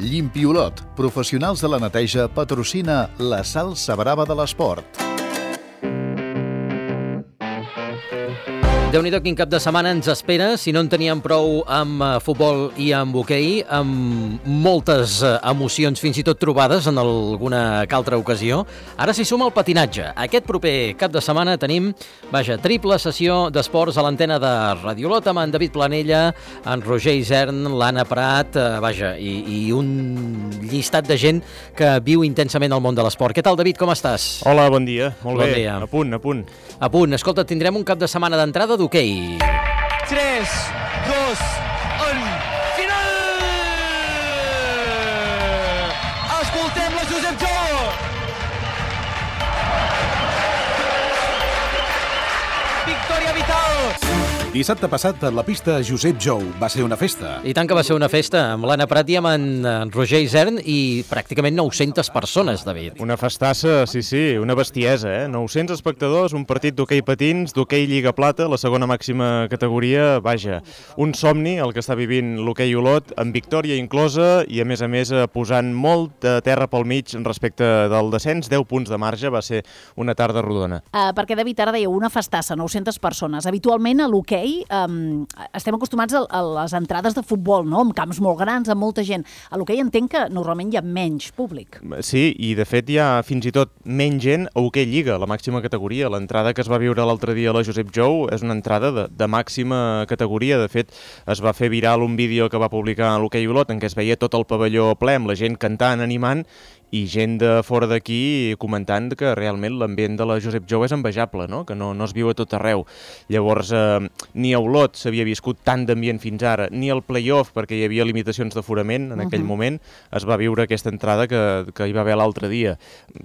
Llimpiolot, professionals de la neteja, patrocina la salsa brava de l'esport. Déu-n'hi-do quin cap de setmana ens espera, si no en teníem prou amb futbol i amb hoquei, amb moltes emocions, fins i tot trobades en alguna que altra ocasió. Ara s'hi suma el patinatge. Aquest proper cap de setmana tenim, triple sessió d'esports a l'antena de Radiolot amb en David Planella, en Roger Isern, l'Anna Prat, i un llistat de gent que viu intensament el món de l'esport. Què tal, David, com estàs? Hola, bon dia. Molt bé. Dia. A punt. A punt. Escolta, tindrem un cap de setmana d'entrada d'hoquei. 3, 2, 1, final! Escoltem la Josep Jou! Victòria vital! Dissabte passat, a la pista Josep Jou va ser una festa. I tant que va ser una festa, amb l'Anna Prat i amb en Roger Isern i pràcticament 900 persones, David. Una festassa, sí, una bestiesa, 900 espectadors, un partit d'hoquei patins, d'hoquei Lliga Plata, la segona màxima categoria, un somni, el que està vivint l'hoquei Olot, amb victòria inclosa i, a més, posant molt de terra pel mig respecte del descens, 10 punts de marge, va ser una tarda rodona. Perquè, David, ara dèieu una festassa, 900 persones. Habitualment a l'hoquei estem acostumats a les entrades de futbol, no? Amb camps molt grans, amb molta gent. A l'hoquei entenc que normalment hi ha menys públic. Sí, i de fet hi ha fins i tot menys gent a hoquei Lliga, la màxima categoria. L'entrada que es va viure l'altre dia a la Josep Jou és una entrada de màxima categoria. De fet, es va fer viral un vídeo que va publicar a l'hoquei Olot en què es veia tot el pavelló ple, amb la gent cantant, animant, i gent de fora d'aquí comentant que realment l'ambient de la Josep Jou és envejable, no? Que no es viu a tot arreu. Llavors, ni a Olot s'havia viscut tant d'ambient fins ara, ni al play-off, perquè hi havia limitacions d'aforament en aquell moment, es va viure aquesta entrada que hi va haver l'altre dia.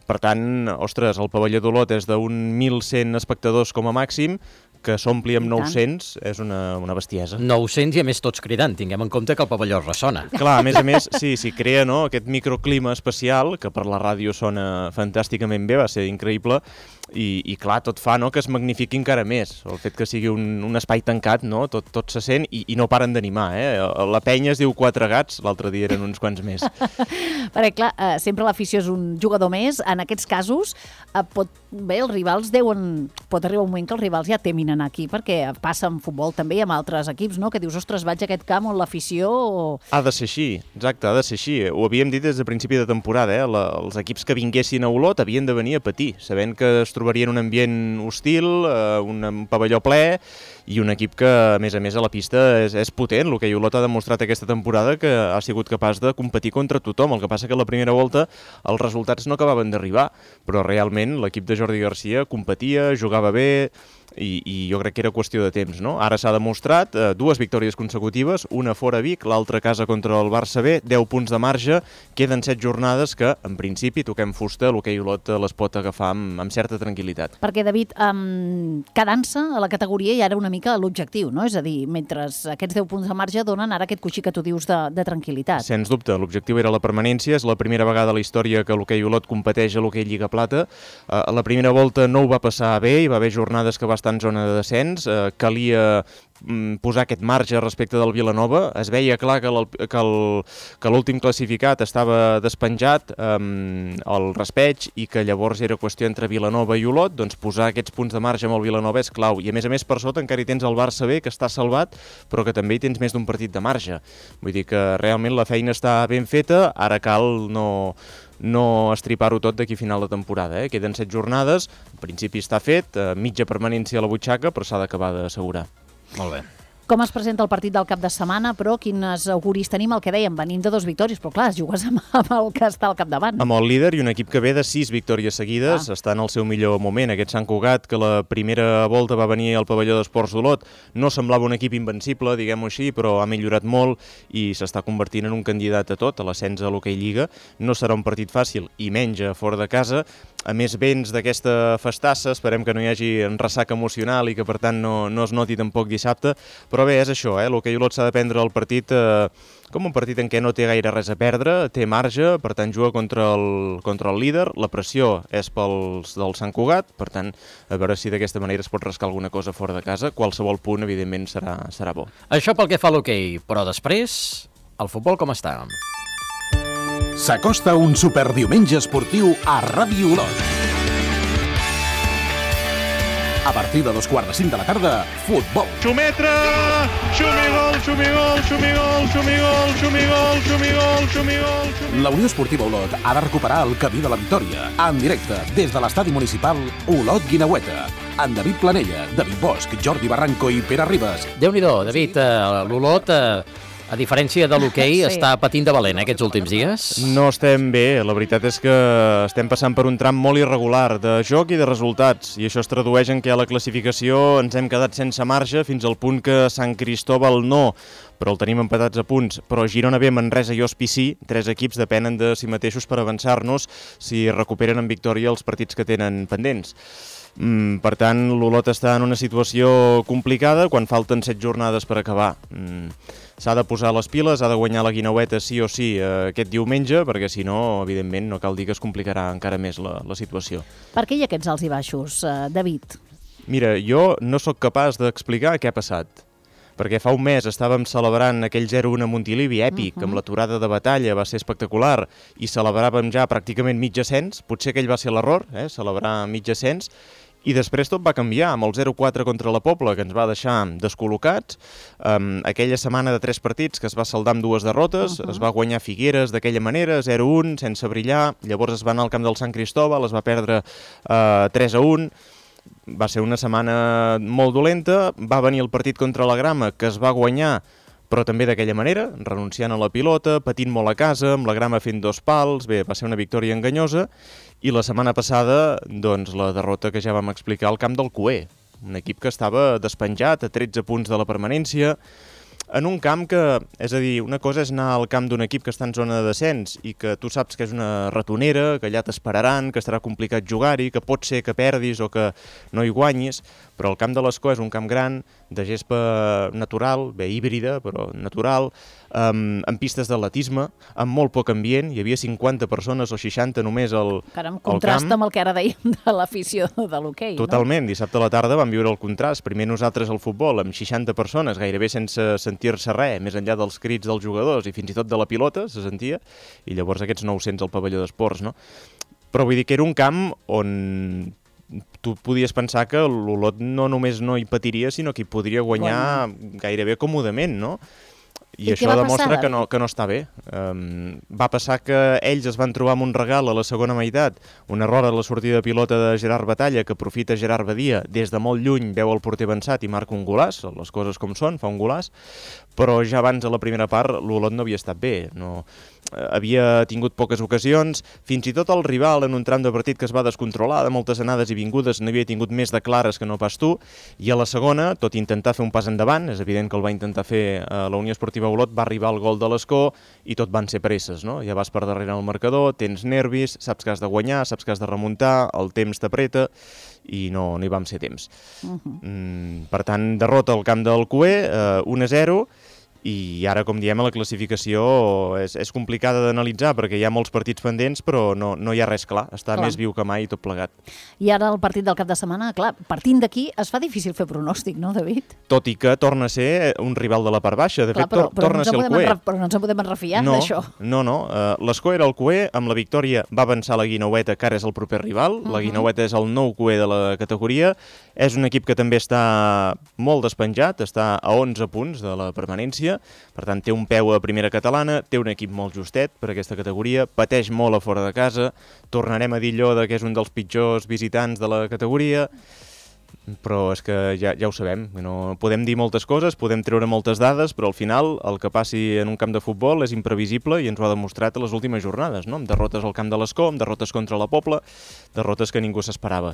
Per tant, ostres, el pavelló d'Olot és d'un 1.100 espectadors com a màxim, que s'ompli amb 900 és una bestiesa. 900 i a més tots cridant, tinguem en compte que el pavelló ressona. Clar, a més, sí, crea aquest microclima especial, que per la ràdio sona fantàsticament bé, va ser increïble, i clar, tot fa que es magnifiqui encara més. El fet que sigui un espai tancat, no? Tot se sent i no paren d'animar. La penya es diu 4 gats, l'altre dia eren uns quants més. Perquè clar, sempre l'afició és un jugador més. En aquests casos, els rivals pot arribar un moment que els rivals ja temin anar aquí, perquè passa en futbol també amb altres equips, no? Que dius, ostres, vaig a aquest camp on l'afició... Ha de ser així, exacte, ha de ser així. Ho havíem dit des de principi de temporada, els equips que vinguessin a Olot havien de venir a patir, sabent que es trobarien un ambient hostil, un pavelló ple, i un equip que, a més, a la pista és potent. L'hoquei Olot ha demostrat aquesta temporada que ha sigut capaç de competir contra tothom. El que passa que a la primera volta els resultats no acabaven d'arribar, però realment l'equip de Jordi Garcia competia, jugava bé, i jo crec que era qüestió de temps, no? Ara s'ha demostrat 2 victòries consecutives, una fora Vic, l'altra a casa contra el Barça B, 10 punts de marge, queden 7 jornades que, en principi, toquem fusta, l'hoquei Olot les pot agafar amb certa tranquil·litat. Perquè, David, quedant-se a la categoria ja era una mica l'objectiu, no? És a dir, mentre aquests 10 punts de marge donen ara aquest coixí que tu dius de tranquil·litat. Sens dubte, l'objectiu era la permanència, és la primera vegada a la història que l'hoquei Olot competeix a l'hoquei Lliga Plata. A la primera volta no ho va passar bé, hi va haver jornades que va estar en zona de descens, calia posar aquest marge respecte del Vilanova. Es veia clar que l'últim classificat estava despenjat al raspeig i que llavors era qüestió entre Vilanova i Olot, doncs posar aquests punts de marge amb el Vilanova és clau. I a més, per sota encara hi tens el Barça B, que està salvat, però que també hi tens més d'un partit de marge. Vull dir que realment la feina està ben feta, ara cal no estripar-ho tot d'aquí a final de temporada. Queden 7 jornades, en principi està fet, mitja permanència a la butxaca, però s'ha d'acabar d'assegurar. Molt bé. Com es presenta el partit del cap de setmana, però quines auguris tenim? El que dèiem, venim de 2 victòries, però clar, jugues amb el que està al capdavant. Amb el líder i un equip que ve de 6 victòries seguides, està en el seu millor moment. Aquest Sant Cugat, que la primera volta va venir al pavelló d'Esports d'Olot, no semblava un equip invencible, diguem-ho així, però ha millorat molt i s'està convertint en un candidat a tot, a l'ascens a l'hoquei Lliga. No serà un partit fàcil i menys fora de casa. A més, vens d'aquesta festassa, esperem que no hi hagi un ressac emocional i que per tant no es noti tampoc dissabte, però bé, és això, l'hoquei Olot s'ha de prendre el partit com un partit en què no té gaire res a perdre, té marge, per tant juga contra el líder, la pressió és pels del Sant Cugat, per tant, a veure si d'aquesta manera es pot rascar alguna cosa fora de casa, qualsevol punt, evidentment, serà bo. Això pel que fa a l'hoquei, però després, el futbol com està? S'acosta un superdiumenge esportiu a Ràdio Olot. A partir de 2:45 de la tarda, futbol. Xumetre! Xumigol, xumigol, xumigol, xumigol, xumigol, xumigol, xumigol, xumigol. La Unió Esportiva Olot ha de recuperar el camí de la victòria. En directe, des de l'estadi municipal Olot-Guineueta. En David Planella, David Bosch, Jordi Barranco i Pere Ribas. Déu-n'hi-do, David, l'Olot, a diferència de l'hoquei, està patint de valent aquests últims dies. No estem bé, la veritat és que estem passant per un tram molt irregular de joc i de resultats, i això es tradueix en que a la classificació ens hem quedat sense marge fins al punt que Sant Cristóbal no, però el tenim empatats a punts. Però Girona B, Manresa i Ospi sí, 3 equips depenen de si mateixos per avançar-nos si recuperen en victòria els partits que tenen pendents. Per tant, l'Olot està en una situació complicada quan falten 7 jornades per acabar. S'ha de posar les piles, ha de guanyar la Guineueta sí o sí aquest diumenge, perquè si no, evidentment, no cal dir que es complicarà encara més la situació. Per què hi ha aquests alts i baixos, David? Mira, jo no sóc capaç d'explicar què ha passat, perquè fa un mes estàvem celebrant aquell 0-1 a Montilivi, èpic, amb l'aturada de Batalla, va ser espectacular, i celebràvem ja pràcticament mig ascens, potser aquell va ser l'error, celebrar mig ascens, i després tot va canviar amb el 0-4 contra la Pobla, que ens va deixar descol·locats. Aquella setmana de 3 partits que es va saldar amb 2 derrotes, es va guanyar Figueres d'aquella manera, 0-1, sense brillar, llavors es va anar al camp del Sant Cristóbal, es va perdre 3-1, va ser una setmana molt dolenta, va venir el partit contra la Grama, que es va guanyar, però també d'aquella manera, renunciant a la pilota, patint molt a casa, amb la Grama fent 2 pals, bé, va ser una victòria enganyosa, i la setmana passada, doncs, la derrota que ja vam explicar al camp del Cué, un equip que estava despenjat a 13 punts de la permanència, en un camp que, és a dir, una cosa és anar al camp d'un equip que està en zona de descens i que tu saps que és una ratonera, que allà t'esperaran, que estarà complicat jugar-hi, que pot ser que perdis o que no hi guanyis, però el camp de l'Escó és un camp gran, de gespa natural, bé, híbrida, però natural, amb pistes d'atletisme, amb molt poc ambient, hi havia 50 persones o 60 només al camp. Caram, contrasta amb el que ara dèiem de l'afició de l'hoquei, no? Totalment, dissabte a la tarda vam viure el contrast, primer nosaltres al futbol, amb 60 persones, gairebé sense sentir-se res, més enllà dels crits dels jugadors i fins i tot de la pilota, se sentia, i llavors aquests 900 al pavelló d'esports, no? Però vull dir que era un camp on tu podies pensar que l'Olot no només no hi patiria, sinó que hi podria guanyar gairebé còmodament, no? I això demostra que no està bé. Va passar que ells es van trobar amb un regal a la segona meitat, un error a la sortida de pilota de Gerard Batalla, que aprofita Gerard Badia, des de molt lluny veu el porter avançat i marca un golaç, les coses com són, fa un golaç, però ja abans a la primera part l'Olot no havia estat bé, havia tingut poques ocasions, fins i tot el rival en un tram de partit que es va descontrolar, de moltes anades i vingudes, n'havia tingut més de clares que no pas tu, i a la segona, tot i intentar fer un pas endavant, és evident que el va intentar fer la Unió Esportiva Olot, va arribar el gol de l'Escó i tot van ser presses, no? Ja vas per darrere el marcador, tens nervis, saps que has de guanyar, saps que has de remuntar, el temps t'apreta, i no hi vam ser temps. Per tant, derrota al camp del Cué, 1-0, i ara, com diem, la classificació és complicada d'analitzar perquè hi ha molts partits pendents, però no hi ha res clar. Està més viu que mai tot plegat. I ara el partit del cap de setmana, clar, partint d'aquí es fa difícil fer pronòstic, no, David? Tot i que torna a ser un rival de la part baixa. De fet, torna a ser el Cué. Però no ens en podem refiar d'això. No. L'Escó era el Cué, amb la victòria va avançar la Guineueta, que ara és el proper rival. La Guineueta és el nou Cué de la categoria. És un equip que també està molt despenjat, està a 11 punts de la permanència. Per tant, té un peu a primera catalana, té un equip molt justet per aquesta categoria, pateix molt a fora de casa, tornarem a dir allò que és un dels pitjors visitants de la categoria, però és que ja ho sabem, no podem dir moltes coses, podem treure moltes dades, però al final el que passi en un camp de futbol és imprevisible i ens ho ha demostrat a les últimes jornades, no? Amb derrotes al camp de l'Escó, amb derrotes contra la Pobla, derrotes que ningú s'esperava.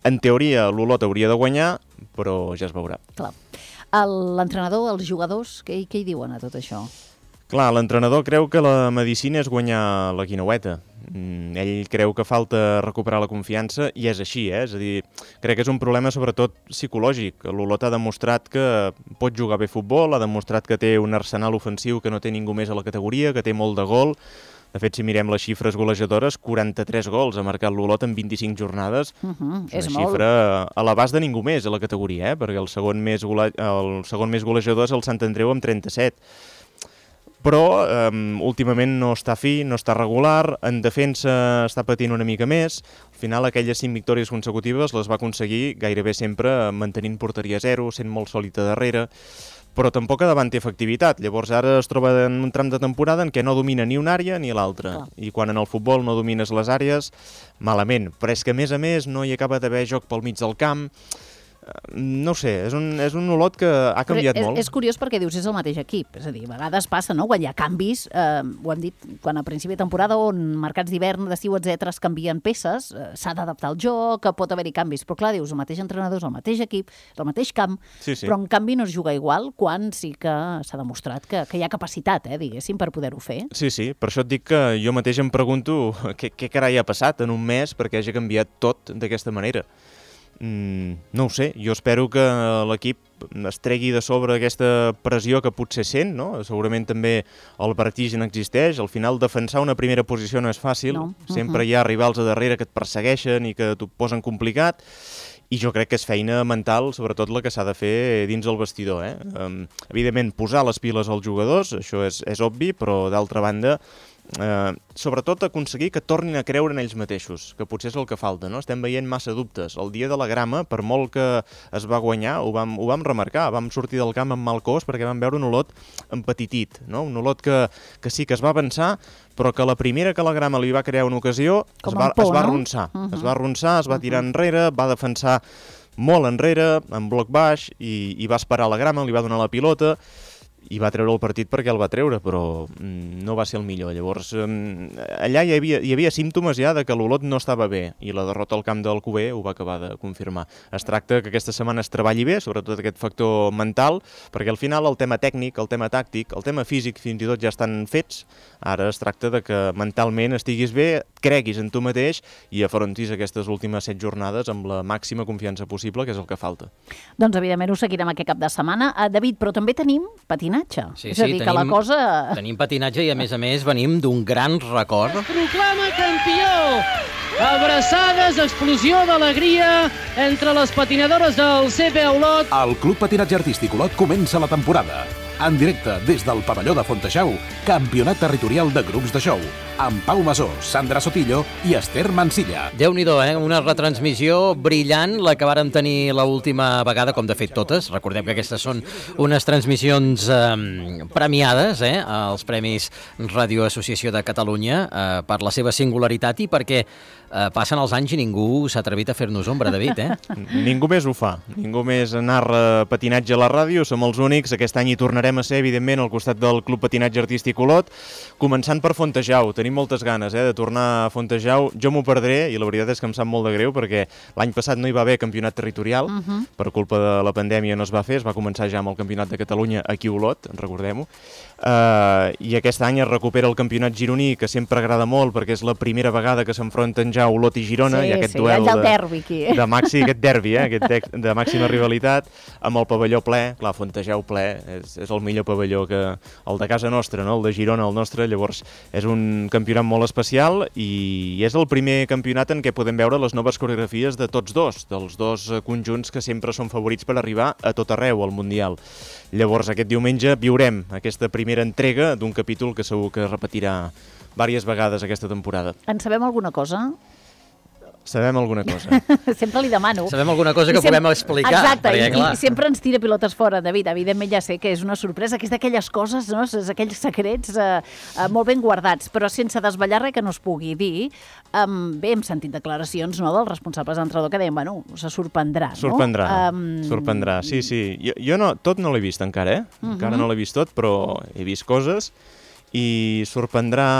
En teoria, l'Olot hauria de guanyar, però ja es veurà. Clar. L'entrenador, els jugadors, què hi diuen a tot això? Clar, l'entrenador creu que la medicina és guanyar la Guineueta. Ell creu que falta recuperar la confiança i és així, És a dir, crec que és un problema sobretot psicològic. L'Olot ha demostrat que pot jugar bé futbol, ha demostrat que té un arsenal ofensiu que no té ningú més a la categoria, que té molt de gol. De fet, si mirem les xifres golejadores, 43 gols ha marcat l'Olot en 25 jornades. És una xifra a l'abast de ningú més a la categoria, perquè el segon més golejador és el Sant Andreu amb 37. però últimament no està fi, no està regular, en defensa està patint una mica més. Al final, aquelles 5 victòries consecutives les va aconseguir gairebé sempre mantenint porteria 0, sent molt sòlid a darrere, però tampoc a davant té efectivitat. Llavors ara es troba en un tram de temporada en què no domina ni una àrea ni l'altra. I quan en el futbol no domines les àrees, malament. Però és que a més no hi acaba d'haver joc pel mig del camp. No ho sé, és un Olot que ha canviat molt. És curiós perquè dius, és el mateix equip. És a dir, a vegades passa, no?, quan hi ha canvis, ho hem dit, quan a principi de temporada on mercats d'hivern, d'estiu, etc., es canvien peces, s'ha d'adaptar al joc, pot haver-hi canvis. Però clar, dius, el mateix entrenador, el mateix equip, el mateix camp, sí. Però en canvi no es juga igual quan sí que s'ha demostrat que hi ha capacitat, diguéssim, per poder-ho fer. Sí, per això et dic que jo mateix em pregunto què carai ha passat en un mes perquè hagi canviat tot d'aquesta manera. No ho sé, jo espero que l'equip es tregui de sobre aquesta pressió que potser sent, no? Segurament també el vertigen existeix, al final defensar una primera posició no és fàcil, sempre hi ha rivals a darrere que et persegueixen i que t'ho posen complicat, i jo crec que és feina mental, sobretot la que s'ha de fer dins el vestidor. Evidentment, posar les piles als jugadors, això és obvi, però d'altra banda, sobretot aconseguir que tornin a creure en ells mateixos, que potser és el que falta, no? Estem veient massa dubtes. El dia de la grama, per molt que es va guanyar, ho vam remarcar, vam sortir del camp amb mal cos perquè vam veure un Olot empetitit, no? Un Olot que sí que es va avançar, però que la primera que la grama li va crear una ocasió es va arronsar. Es va arronsar, es va tirar enrere, va defensar molt enrere, en bloc baix, i va esperar la grama, li va donar la pilota, i va treure el partit perquè el va treure, però no va ser el millor. Llavors, allà hi havia símptomes ja de que l'Olot no estava bé, i la derrota al camp del Cuber ho va acabar de confirmar. Es tracta que aquesta setmana es treballi bé, sobretot aquest factor mental, perquè al final el tema tècnic, el tema tàctic, el tema físic fins i tot ja estan fets. Ara es tracta de que mentalment estiguis bé, creguis en tu mateix i afrontis aquestes últimes 7 jornades amb la màxima confiança possible, que és el que falta. Doncs evidentment ho seguirem aquest cap de setmana. David, però també tenim patinatge. Sí, és a dir, que la cosa... Tenim patinatge i, a més, venim d'un gran record. Es proclama campió! Abraçades, explosió d'alegria entre les patinadores del CP Olot. El Club Patinatge Artístic Olot comença la temporada. En directe des del pavelló de Fontejau, campionat territorial de grups de show, amb Pau Masó, Sandra Sotillo i Esther Mansilla. Déu-n'hi-do, una retransmissió brillant, la que vàrem tenir l'última vegada, com de fet totes. Recordem que aquestes són unes transmissions premiades, als Premis Ràdio Associació de Catalunya, per la seva singularitat i perquè passen els anys i ningú s'ha atrevit a fer-nos ombra, David, Ningú més ho fa. Ningú més narra patinatge a la ràdio. Som els únics. Aquest any hi tornarem a ser, evidentment, al costat del Club Patinatge Artístic Olot, començant per Fontejau. Tenim moltes ganes de tornar a Fontejau. Jo m'ho perdré i la veritat és que em sap molt de greu perquè l'any passat no hi va haver campionat territorial. Per culpa de la pandèmia no es va fer. Es va començar ja amb el Campionat de Catalunya aquí a Olot, recordem-ho. I aquest any es recupera el campionat gironí, que sempre agrada molt perquè és la primera vegada que s'enfronten ja Olot i Girona, i aquest duel de màxim, aquest derbi, aquest de màxima rivalitat, amb el pavelló ple. Clar, Fontejau ple, és el millor pavelló que el de casa nostra, no? El de Girona, el nostre. Llavors és un campionat molt especial i és el primer campionat en què podem veure les noves coreografies de tots dos, dels dos conjunts que sempre són favorits per arribar a tot arreu al Mundial. Llavors aquest diumenge viurem aquesta primera entrega d'un capítol que segur que repetirà diverses vegades aquesta temporada. En sabem alguna cosa? Sabem alguna cosa. Sempre li demano. Sabem alguna cosa que puguem explicar. Exacte, perquè, i sempre ens tira pilotes fora, David. Evidentment ja sé que és una sorpresa, que és d'aquelles coses, no? És aquells secrets molt ben guardats, però sense desvetllar res que no es pugui dir. Bé, hem sentit declaracions, no?, dels responsables d'entrenador que deien, bueno, se sorprendrà, no? Sorprendrà, sí. Jo no, tot no l'he vist encara, encara no l'he vist tot, però he vist coses i sorprendrà...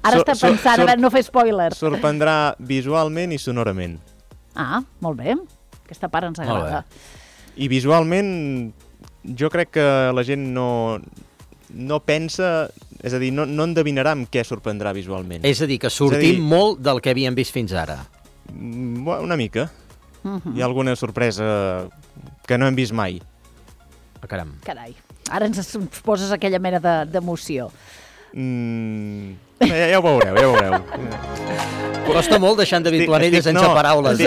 Ara està pensant, a veure, no fer spoilers. Sorprendrà visualment i sonorament. Ah, molt bé. Aquesta part ens agrada. I visualment, jo crec que la gent no pensa, és a dir, no endevinarà amb què sorprendrà visualment. És a dir, que sortim molt del que havíem vist fins ara. Una mica. Hi ha alguna sorpresa que no hem vist mai. Caram. Carai, ara ens poses aquella mena d'emoció. Ja ho veureu, ja ho veureu. Costa molt deixar en David Planella sense paraules.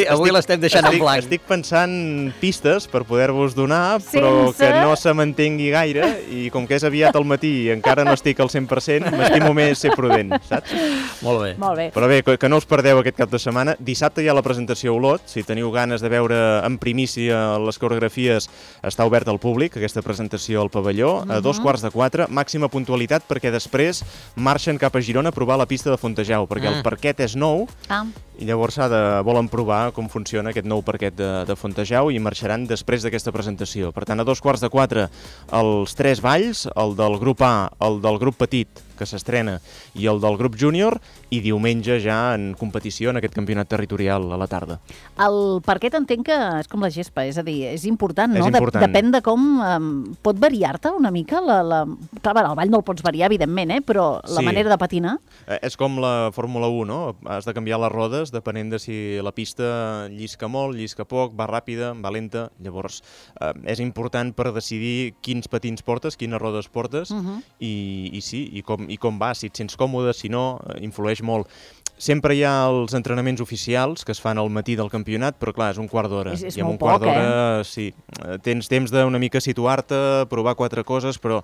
Avui l'estem deixant en blanc. Estic pensant pistes per poder-vos donar, però que no se m'entengui gaire, i com que és aviat al matí i encara no estic al 100%, m'estimo més ser prudent, saps? Molt bé. Molt bé. Però bé, que no us perdeu aquest cap de setmana. Dissabte hi ha la presentació a Olot. Si teniu ganes de veure en primícia les coreografies, està obert al públic, aquesta presentació al pavelló, a 3:15, màxima puntualitat, perquè després marxen cap a Girona a provar la pista de Fontejau, perquè el parquet és nou, i llavors volen provar com funciona aquest nou parquet de Fontejau i marxaran després d'aquesta presentació. Per tant, a 3:15 els 3 balls, el del grup A, el del grup petit, que s'estrena, i el del grup júnior, i diumenge ja en competició en aquest campionat territorial a la tarda. El parquet entenc que és com la gespa, és a dir, és important, no? És important. Depèn de com pot variar-te una mica. Clar, el ball no el pots variar, evidentment, però la manera de patinar... És com la Fórmula 1, no? Has de canviar les rodes depenent de si la pista llisca molt, llisca poc, va ràpida, va lenta. Llavors, és important per decidir quins patins portes, quines rodes portes, i com va, si et sents còmode, si no, influeix molt. Sempre hi ha els entrenaments oficials que es fan al matí del campionat, però clar, és un quart d'hora. És molt poc, sí. Tens temps d'una mica situar-te, provar 4 coses, però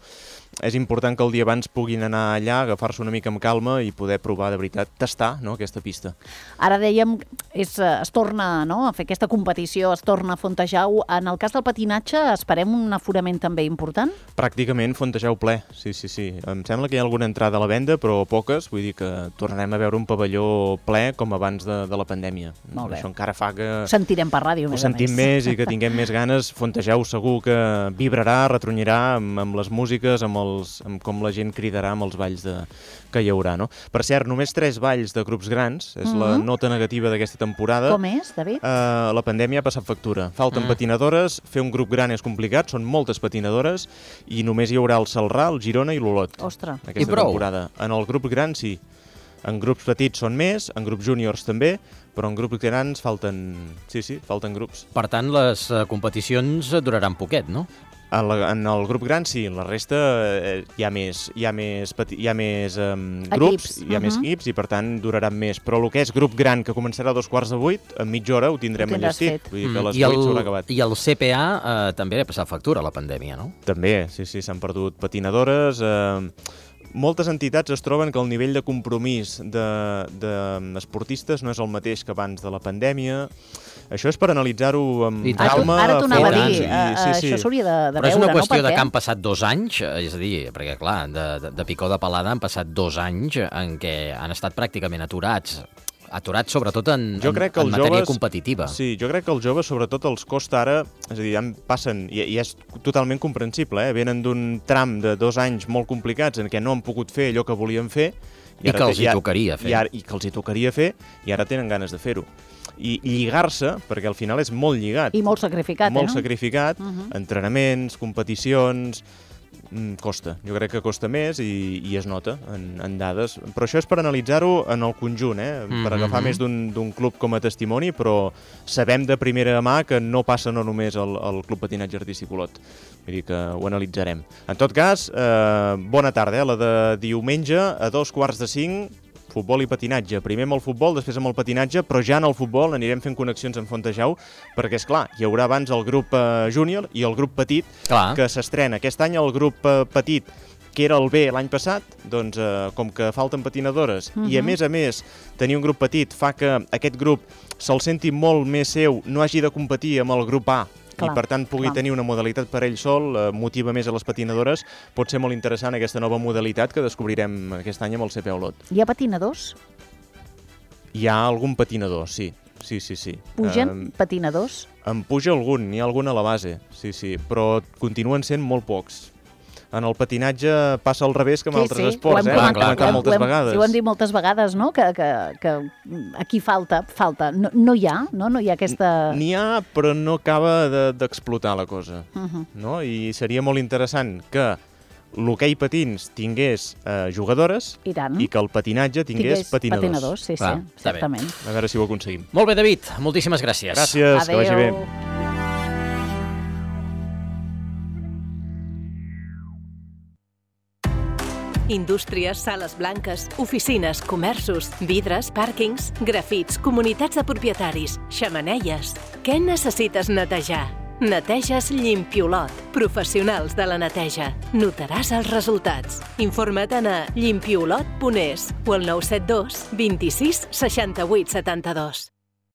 és important que el dia abans puguin anar allà, agafar-se una mica amb calma i poder provar de veritat, tastar, no, aquesta pista. Ara dèiem, es torna a fer aquesta competició, es torna a Fontejau. En el cas del patinatge, esperem un aforament també important? Pràcticament Fontejau ple, sí. Em sembla que hi ha alguna entrada a la venda, però poques, vull dir que tornarem a veure un pavelló ple com abans de la pandèmia. Molt bé. Això encara fa que... Ho sentirem per ràdio, ho sentim més i que tinguem més ganes. Fontejau segur que vibrarà, retronyirà amb les músiques, amb com la gent cridarà amb els balls que hi haurà, no? Per cert, només 3 balls de grups grans, és la nota negativa d'aquesta temporada. Com és, David? La pandèmia ha passat factura. Falten patinadores, fer un grup gran és complicat, són moltes patinadores, i només hi haurà el Celrà, el Girona i l'Olot. Ostres. Aquesta temporada. En el grup gran sí. En grups petits són més, en grups júniors també, però en grups grans falten grups. Per tant, les competicions duraran poquet, no? En el grup gran sí, en la resta hi ha més grups, hi ha més equips, i per tant duraran més. Però el que és grup gran, que començarà a 7:15, en mitja hora ho tindrem enllestit. Vull dir que a les 8 s'haurà acabat. I el CPA també ha passat factura a la pandèmia, no? També, sí, s'han perdut patinadores. Moltes entitats es troben que el nivell de compromís d'esportistes no és el mateix que abans de la pandèmia. Això és per analitzar-ho amb calma. Ara t'ho anava a dir, sí. això s'hauria de veure, no? Però és una qüestió de que han passat 2 anys, és a dir, perquè clar, de picó de palada han passat 2 anys en què han estat pràcticament aturats sobretot en matèria competitiva. Sí, jo crec que als joves sobretot els costa ara, és a dir, passen, i és totalment comprensible, venen d'un tram de 2 anys molt complicats en què no han pogut fer allò que volien fer, i que els hi tocaria fer, i ara tenen ganes de fer-ho. I lligar-se, perquè al final és molt lligat. I molt sacrificat, molt sacrificat, entrenaments, competicions... Costa, jo crec que costa més i es nota en dades, però això és per analitzar-ho en el conjunt, per agafar més d'un club com a testimoni, però sabem de primera mà que no passa no només al Club Patinatge Artístic Olot, vull dir que ho analitzarem. En tot cas, bona tarda, la de diumenge a 4:45, futbol i patinatge. Primer amb el futbol, després amb el patinatge, però ja en el futbol anirem fent connexions amb Fontejau, perquè, esclar, hi haurà abans el grup júnior i el grup petit, que s'estrena. Aquest any el grup petit, que era el B l'any passat, doncs com que falten patinadores i a més tenir un grup petit fa que aquest grup se'l senti molt més seu, no hagi de competir amb el grup A, i per tant pugui tenir una modalitat per ell sol, motiva més a les patinadores. Pot ser molt interessant aquesta nova modalitat que descobrirem aquest any amb el CPA Olot. Hi ha patinadors? Hi ha algun patinador, sí. Pugen patinadors? En puja algun, n'hi ha algun a la base, sí, però continuen sent molt pocs. En el patinatge passa al revés que en altres esports, ho hem comentat moltes vegades. Sí, ho hem dit moltes vegades, no? Que aquí falta. No hi ha, no? No hi ha aquesta... N'hi ha, però no acaba d'explotar la cosa, no? I seria molt interessant que l'hoquei patins tingués jugadores i que el patinatge tingués patinadors. Sí, exactament. A veure si ho aconseguim. Molt bé, David, moltíssimes gràcies. Gràcies, que vagi bé. Indústries, sales blanques, oficines, comerços, vidres, pàrquings, grafits, comunitats de propietaris, xemeneies. Què necessites netejar? Neteges Llimpiolot. Professionals de la neteja. Notaràs els resultats. Informa't a llimpiolot.es o al 972 26 68 72.